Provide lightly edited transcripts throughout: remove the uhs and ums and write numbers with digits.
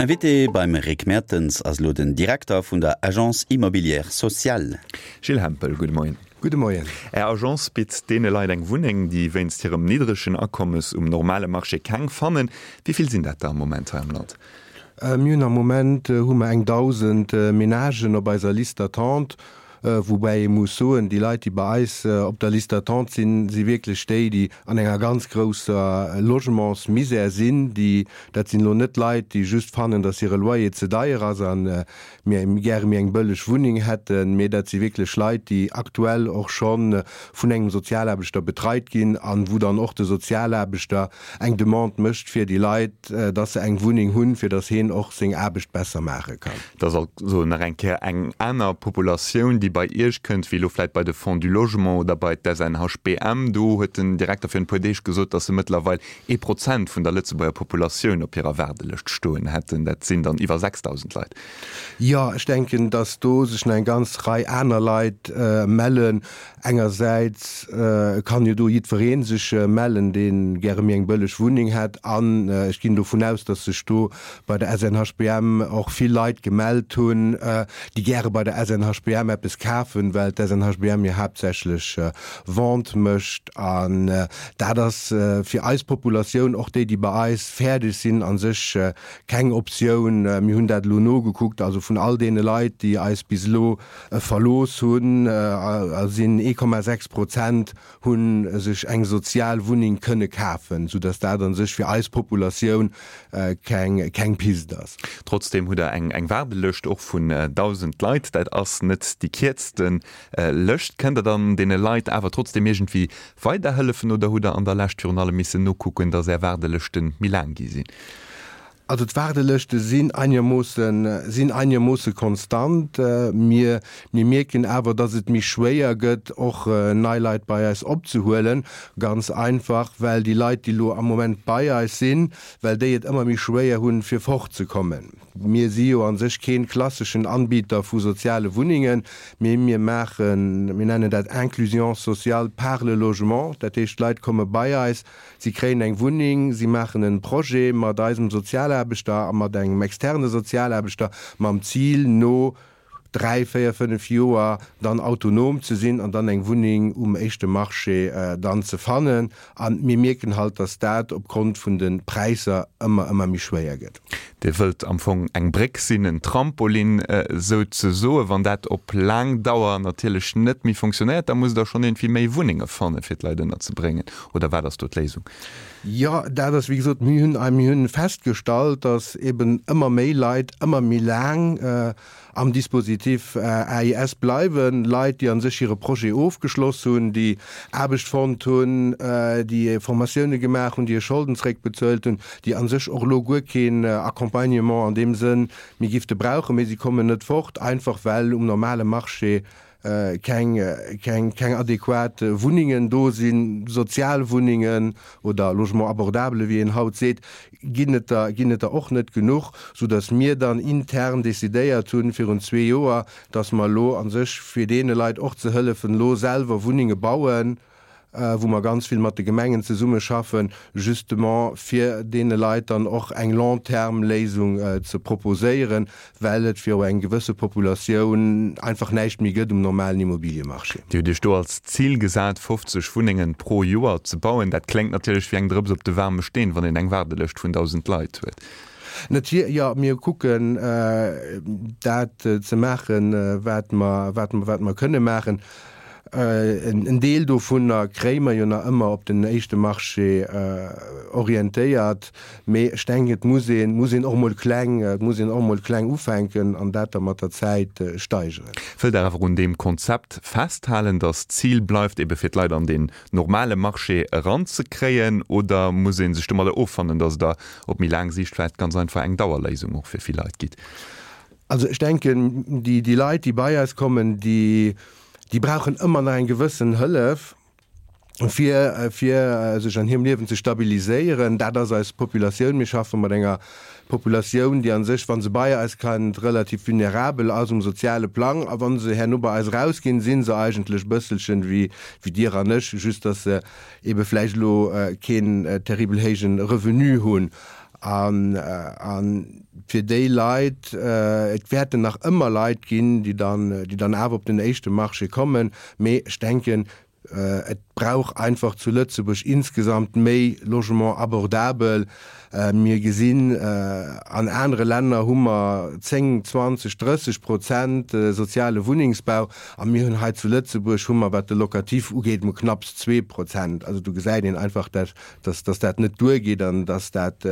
Invité beim Rick Mertens ass elo den Direkter vun der Agence Immobilière Sociale. Gilles Hempel, gudde Moien. Gudde Moien. Är Agence bitt deene Leit eng Wunneng, déi wéinst hirem niddregen Akommes um normale Marché keng fannen. Wéi vill sinn dat der am Moment hei am Land? Mir hunn am Moment hu mer eng 1.000 Menagen op eiser Liste d'attente. Woubäi ee muss soen, déi Leit, déi bei eis op der Liste d'attente sinn, si wierklech déi, déi an enger ganz grousser Logementsmisère sinn. Déi, dat sinn elo net Leit, déi just fannen, datt hire Loyer ze deier ass a mir gäre méi eng bëlleg Wunneng hätten, mee dat si wierklech Leit, déi aktuell och scho vun engem Sozialaarbechter betreit ginn an wou dann och de Sozialaarbechter eng Demande mécht fir déi Leit, datt se eng Wunneng hunn, fir datt heen och seng Aarbecht besser maache kann. Et ass also nach eng Kéier eng aner Populatioun, déi bei Iech kënnt, wéi elo vläicht bei de Fonds du Logement oder bei d'SNHBM. Do huet den Direkter virun e puer Deeg gesot, datt se mëttlerweil ee Prozent vun der Lëtzebuerger Populatioun op hirer Waardelëscht stoen hätten. Dat sinn dann iwwer 6.000 Leit. Jo, ech denken, datt do sech nach eng ganz Rei aner Leit mellen. Engersäits kann jo do jiddweree sech mellen, dee gäre méi eng bëlleg Wunneng hätt. An ech ginn dovun aus, datt sech do bei der SNHBM och vill Leit gemellt hunn, déi gäre bei der SNHBM eppes kafen, well d'SNHBM jo haaptsächlech Vente mécht. An dat ass fir eis Populatioun, och déi, déi bei eis fäerdeg sinn, a sech keng Optioun. Mir hunn dat elo nogekuckt, also vun all deene Leit, déi eis bis elo verlooss hunn, sinn 1,6 Prozent hu sech eng sozial Wunneng kënne kafen, soudass dat a sech fir eis Populatioun keng Pist ass. Trotzdeem hutt Der eng Waardelëscht och vun 1.000 Leit. Dat ass net déi kierzte Lëscht. Kënnt Der dann deene Leit awer trotzdeem iergendwéi weiderhëllefen oder hutt Der an der Lescht virun allem missen nokucken, dass Är Waardelëschte méi laang gi sinn? Also d'Waardelëschte sinn einermoossen, sinn einermoosse konstant. Mir, mir mierken awer, datt et méi schwéier gëtt, och nei Leit bei eis opzehuelen. Ganz einfach, well déi Leit, déi elo am Moment bei eis sinn, well déi et ëmmer méi schwéier hunn, fir fortzekommen. Mir si jo a sech kee klasseschen Anbieter vu soziale Wunnengen, mee mir maachen, mir nennen dat Inclusion sociale par le logement. Dat heescht, d'Leit komme bei eis, Si kréien eng Wunneng, si maachen en Projet mat eisem Sozialaarbechter a mat engem externe Sozialaarbechter mam Zil, no 3, 4, 5 Joer dann autonom ze sinn an dann eng Wunneng um éischte Marché dann ze fannen. A mir mierken halt, dass dat opgrond vun de Präisser ëmmer, ëmmer méi schwéier gëtt. Dir wëllt am Fong eng Bréck sinn, en Trampolin souzesoen. Wann dat op laang Dauer natierlech net méi fonctionnéiert, da musst Der schonn iergendwéi méi Wunnenge fanne fir d'Leit ënnerzebréngen. Oder wat ass do d'Léisung? Jo, dat ass wéi gesot, mir hunn, mir hunn festgestallt, datt eben ëmmer méi Leit ëmmer méi laang am Dispositif AIS bleiwen. Leit, déi a sech hire Projet ofgeschloss hunn, déi Aarbecht fonnt hunn, déi Formatioune gemaach hunn, déi hir Scholden zréckbezuelt hunn, déi a sech och elo guer keen Accompagnement an deem Sënn méi gifte brauchen, mee si kommen net fort, einfach well um normale Marché keng, keng, keng adequat Wunnengen do sinn, Sozialwunnengen oder Logement abordable, wéi een haut seet, ginn et der, ginn et der och net genuch, soudass mir dann intern decidéiert hunn virun zwee Joer, dass mer elo a sech, fir deene Leit och ze hëllefen, elo selwer Wunnenge bauen, wou mer ganz vill mat de Gemengen zesummeschaffen, justement fir deene Leit dann och eng Long-terme-Léisung ze proposéieren, well et fir eng gewësse Populatioun einfach näischt méi gëtt um normalen Immobiliemarché. Dir hutt Iech do als Zil gesat, 50 Wunnengen pro Joer ze bauen. Dat kléngt natierlech wéi eng Drëps op de waarme Steen, wann een eng Waardelëscht vun 1.000 Leit huet. Natier, jo, mir kucken dat ze maachen, wat mer, wat mer, wat mer kënne maachen. En Deel dovunner kréie mer jo nach ëmmer op den éischte Marché orientéiert, mee ech denken, et muss een, muss een och emol kleng, et muss een och emol kleng ufänken an dat da mat der Zäit steigeren. Wëllt Der awer un deem Konzept festhalen, datt d'Zil bleift, ebe fir d'Leit an deen normale Marché eranzekréien, oder muss ee sech domadder offannen, datt Der op méi laang Siicht vläicht ganz einfach eng Dauerléisung och fir vill Leit gitt? Also ech denken, déi, déi Leit, déi bei eis kommen, déi, déi brauchen ëmmer nach eng gewëssen Hëllef, fir, fir sech an hirem Liewen ze stabiliséieren. Dat ass eis Populatioun. Mir schaffe mat enger Populatioun, déi a sech, wa se bei eis kënnt, relativ vulnerabel ass um soziale Plang. A wa se herno bei eis erausginn, si se eigentlech e bësselchen wéi, wéi Dir an ech, just dass se ebe vläicht elo keen terribel héije Revenu hunn. An, a fir déi Leit, et wäerten nach ëmmer Leit ginn, déi dann, déi dann awer op den éischte Marché kommen, mee ech denken, et brauch einfach zu Lëtzebuerg insgesamt méi Logement abordabel. Mir gesinn, an anere Länner hu mer 10, 20, 30 Prozent soziale Wunnengsbau a mir hunn hei zu Lëtzebuerg hu mer, wat de Locatif ugeet, mol knapps 2%. Also do gesäit een einfach, dass, dass dat net duergeet an dass dat,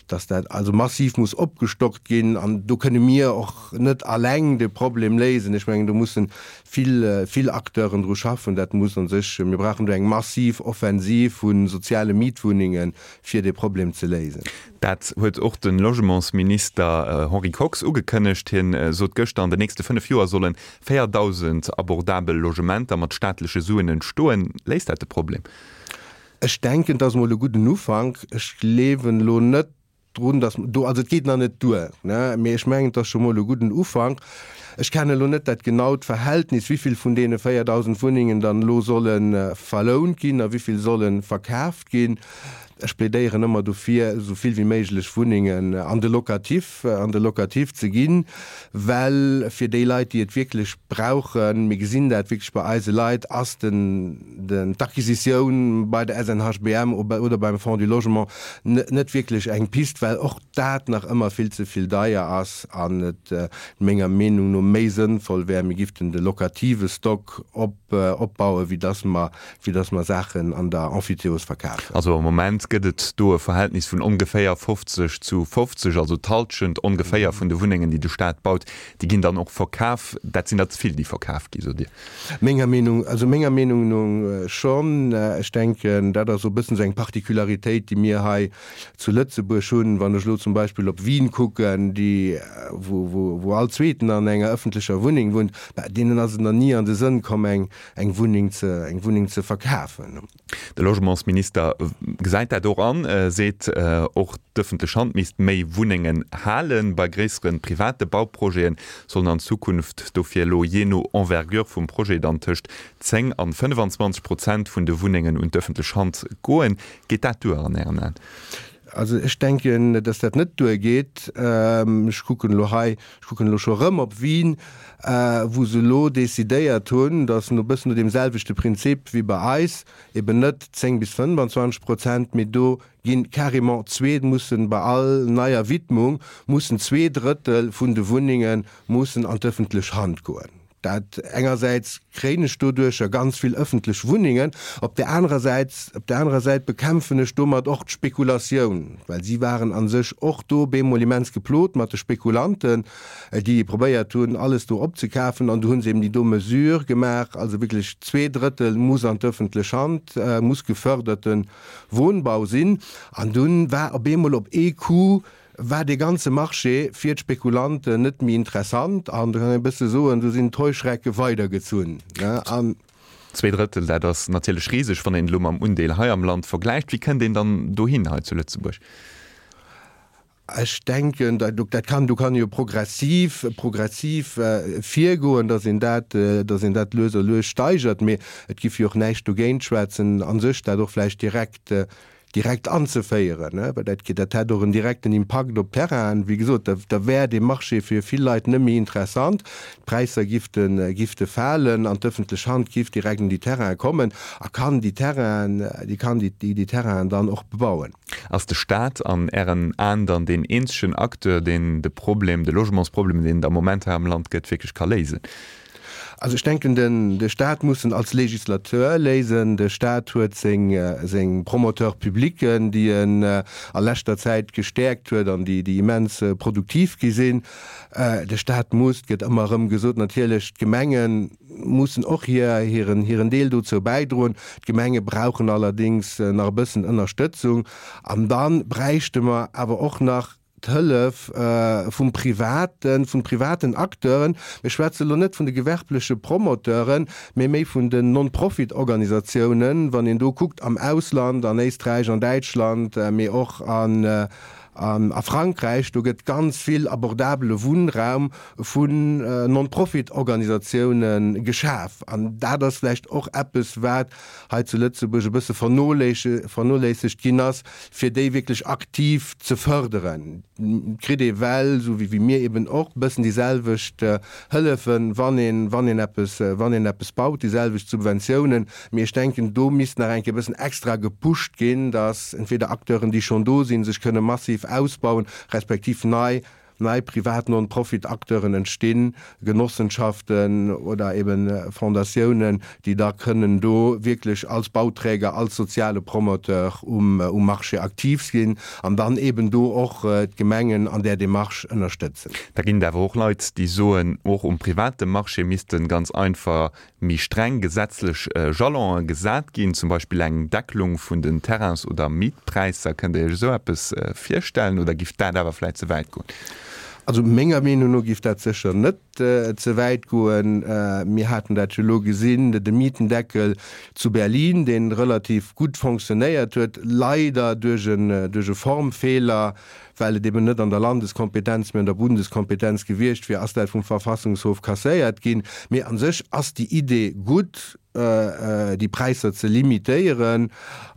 dass dat also massiv muss opgestockt ginn. An do kënne mir och net alleng de Problem léisen. Ech mengen, do mussen vill, vill Acteuren dru schaffen. Dat muss a sech, mir brauchen do eng massiv Offensiv vu soziale Mietwunnengen, fir dee Problem ze léisen. Dat huet och de Logementsminister Henri Kox ugekënnegt. Hien sot gëschter, an den nächste 5 Joer solle 4.000 abordabel Logementer mat staatleche Suen entstoen. Léist dat de Problem? Ech denken, et ass emol e gudden Ufank. Ech gleewen elo net drun, datt do, also et geet nach net duer, ne, mee ech mengen, et ass scho mol e gudden Ufank. Ech kennen elo net dat genaut Verhältnis, wivill vun deene 4.000 Wunnengen dann elo solle verlount ginn a wivill solle verkaaft ginn. Ech plädéieren ëmmer dofir, esou vill wéi méiglech Wunnengen an de Locatif, an de Locatif ze ginn, well fir déi Leit, déi et wierklech brauchen, mir gesinn dat wierklech bei eise Leit, ass den, den, d'Acquisitioun bei der SNHBM oder beim Fonds du Logement net wierklech eng Pist, well och dat nach ëmmer vill ze vill deier ass an et menger Meenung no méi sënnvoll wär, mir giften de locative Stock op, opbauen, wéi dass mer wéi dass mer Saachen an der Emphytéose verkafen. Also am Moment gëtt et do e Verhältnis vun ongeféier 50 zu 50, also d'Halschent ongeféier vun de Wunnengen, déi de Staat baut, déi ginn dann och verkaf. Dat sinn der ze vill, déi verkaf gi, sot Dir? Menger Meenung, also menger Meenung no schonn. Ech denken, dat ass e bëssen esou eng Particularitéit, déi mir hei zu Lëtzebuerg hunn. Wann ech elo zum Beispill op Wien kucken, déi, wou, wou, wou all Zweeten an enger ëffentlecher Wunneng wunnt, bah, deenen ass et nach ni an de Sënn komm, eng, eng Wunneng ze, eng Wunneng ze verkafen. De Logementsminister gesäit dat och an, seet och, d'ëffentlech Hand misst méi Wunnengen halen. Bei gréissere private Bauprojete sollen an Zukunft dofir elo jee no Envergure vum Projet dann tëscht 10 an 25 Prozent vun de Wunnengen un d'ëffentlech Hand goen. Geet dat duer an Ären Aen? Also ech denken, dass dat net duergeet. Ech kucken elo hei, ech kucken elo scho erëm op Wien, wou se elo decidéiert hunn, dass no bëssen no deem selwechte Prinzip wéi bei eis, eben net 10 bis 25 Prozent, mee do ginn carrément zwee, mussen bei all neier Widmung mussen 2/3 vun de Wunnenge mussen an d'ëffentlech Hand goen. Dat engersäits kréien ech doduercher ganz vill ëffentlech Wunnengen, op där anerer Säit, op där anerer Säit bekämpfen ech domat och d'Spekulatioun, well si waren a sech och do bemol immens geplot mat de Spekulanten, déi probéiert hunn, alles do opzekafen. An du hu se eben déi do Mesure gemaach, also wierklech 2/3 muss an d'ëffentlech Hand, muss geförderte Wohnbau sinn. An dunn war op eemol op ee Coup war dee ganze Marché fir d'Spekulanten net méi interessant an, do kann een e bësse soen, do sinn d'Heuschrecke weidergezunn. An. 2/3, dat ass natierlech riseg, wann een et elo mam Undeel hei am Land vergläicht. Wéi kënnt een dann dohin hei zu Lëtzebuerg? Ech denken, dat kann, do kann ee jo progressiv, progressiv virgoen, datt een dat, datt een dat lues a lues steigert. Mee et giff jo och näischt dogéint schwätzen, a sech dat och vläicht direkt direkt anzeféieren, well dat dat hätt och en direkten Impakt op d'Terrainen. Wéi gesot, da da wär dee Marché fir vill Leit net méi interessant, d'Präisser gifte gifte falen an d'ëffentlech Hand giff direkt un déi Terrainen kommen a kann déi Terrainen, déi kann déi déi Terrainen dann och bebauen. Ass de Staat an Ären Aen dann deen eenzegen Acteur, deen de Problem, de Logementsproblem, deen et am Moment hei am Land gëtt, wierklech ka léisen? Also ech denken, den, de Stat muss en als Législateur léisen. De Stat huet seng, seng Promoteurs publics, déi en a leschter Zäit gestäerkt huet an déi, déi immens produktiv gi sinn. De Stat muss, et gëtt ëmmer erëm gesot, natierlech d'Gemenge mussen och hir, hiren, hiren Deel dozou bäidroen. D'Gemenge brauchen allerdéngs nach e bëssen Ënnerstëtzung. An da bräichte mer awer och nach d'Hëllef vum Privaten, vun privaten Acteuren, mir schwätze elo net vun de gewerbleche Promoteuren, mee méi vun den Non-Profit-Organisatiounen, wann een do kuckt am Ausland, an Éisträich, an Däitschland, mee och an. A Frankräich, do gëtt ganz vill abordabele Wunnraum vun Non-Profit-Organisatioune geschaf. An dat ass vläicht och eppes, wat hei zu Lëtzebuerg e bësse vernoléissegt ginn ass, fir déi wierklech aktiv ze fërderen. Et kritt ee well, esou wéi mir eben och, e bëssen déi selwecht Hëllefen, wann een, wann een eppes, wann een eppes baut, déi selwecht Subventiounen. Mee ech denken, do misst nach eng Kéier e bëssen extra gepusht ginn, dass entweder Acteuren, déi schonn do sinn, sech kënne massiv ausbauen, respektiv nei nei privat Non-Profit-Acteuren entstinn, Genossenschaften oder eben Fondatiounen, déi da kënnen do wierklech als Bauträger, als soziale Promoteur um Marché aktiv sinn an dann eben do och d'Gemengen an där Démarche ënnerstëtzen. Da ginn et awer och Leit, déi soen, och um private Marché misste ganz einfach méi streng gesetzlech Jalonen gesat ginn, zum Beispill eng Deckelung vun den Terrains oder Mietpräisser. Kënnt Dir Iech esou eppes virstellen oder giff dat awer vläit ze wäit goen? Also menger Meenung no giff dat sécher net ze wäit goen. Mir haten dat jo elo gesinn, de Mietendeckel zu Berlin, dee relativ gutt fonctionnéiert huet, leider duerch e Formfeeler, Well et eben net an der Landeskompetenz, mee an der Bundeskompetenz gewiescht wier, ass dat vum Verfassungshof kasséiert ginn. Mee a sech ass déi Idee gutt, déi Präisser ze limitéieren.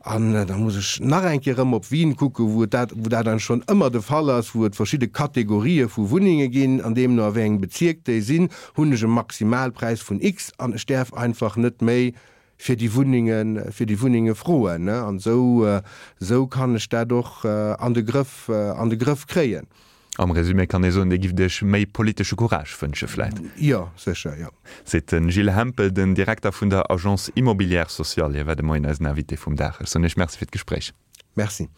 An da muss ech nach eng Kéier erëm op Wien kucken, wou et dat, wou dat eigentlech schonn ëmmer de Fall ass, wou et verschidde Kategorië vu Wunnenge ginn, an deemno a wéi engem Bezierk déi sinn, hunn ech e Maximalpräis vun X an ech däerf einfach net méi fir déi Wunnengen, fir déi Wunnenge froen, ne? An esou, esou kann ech dat och an de Grëff, an de Grëff kréien. Am Résumé kann ee soen, Dir gifft Iech méi politesche Courage wënsche vläit. Jo, sécher, jo. Seet de Gilles Hempel, den Direkter vun der Agence Immobilière Sociale. Hie war de Moien eisen Invité vum Dag. Ech soen Iech Merci fir d'Gespréich. Merci.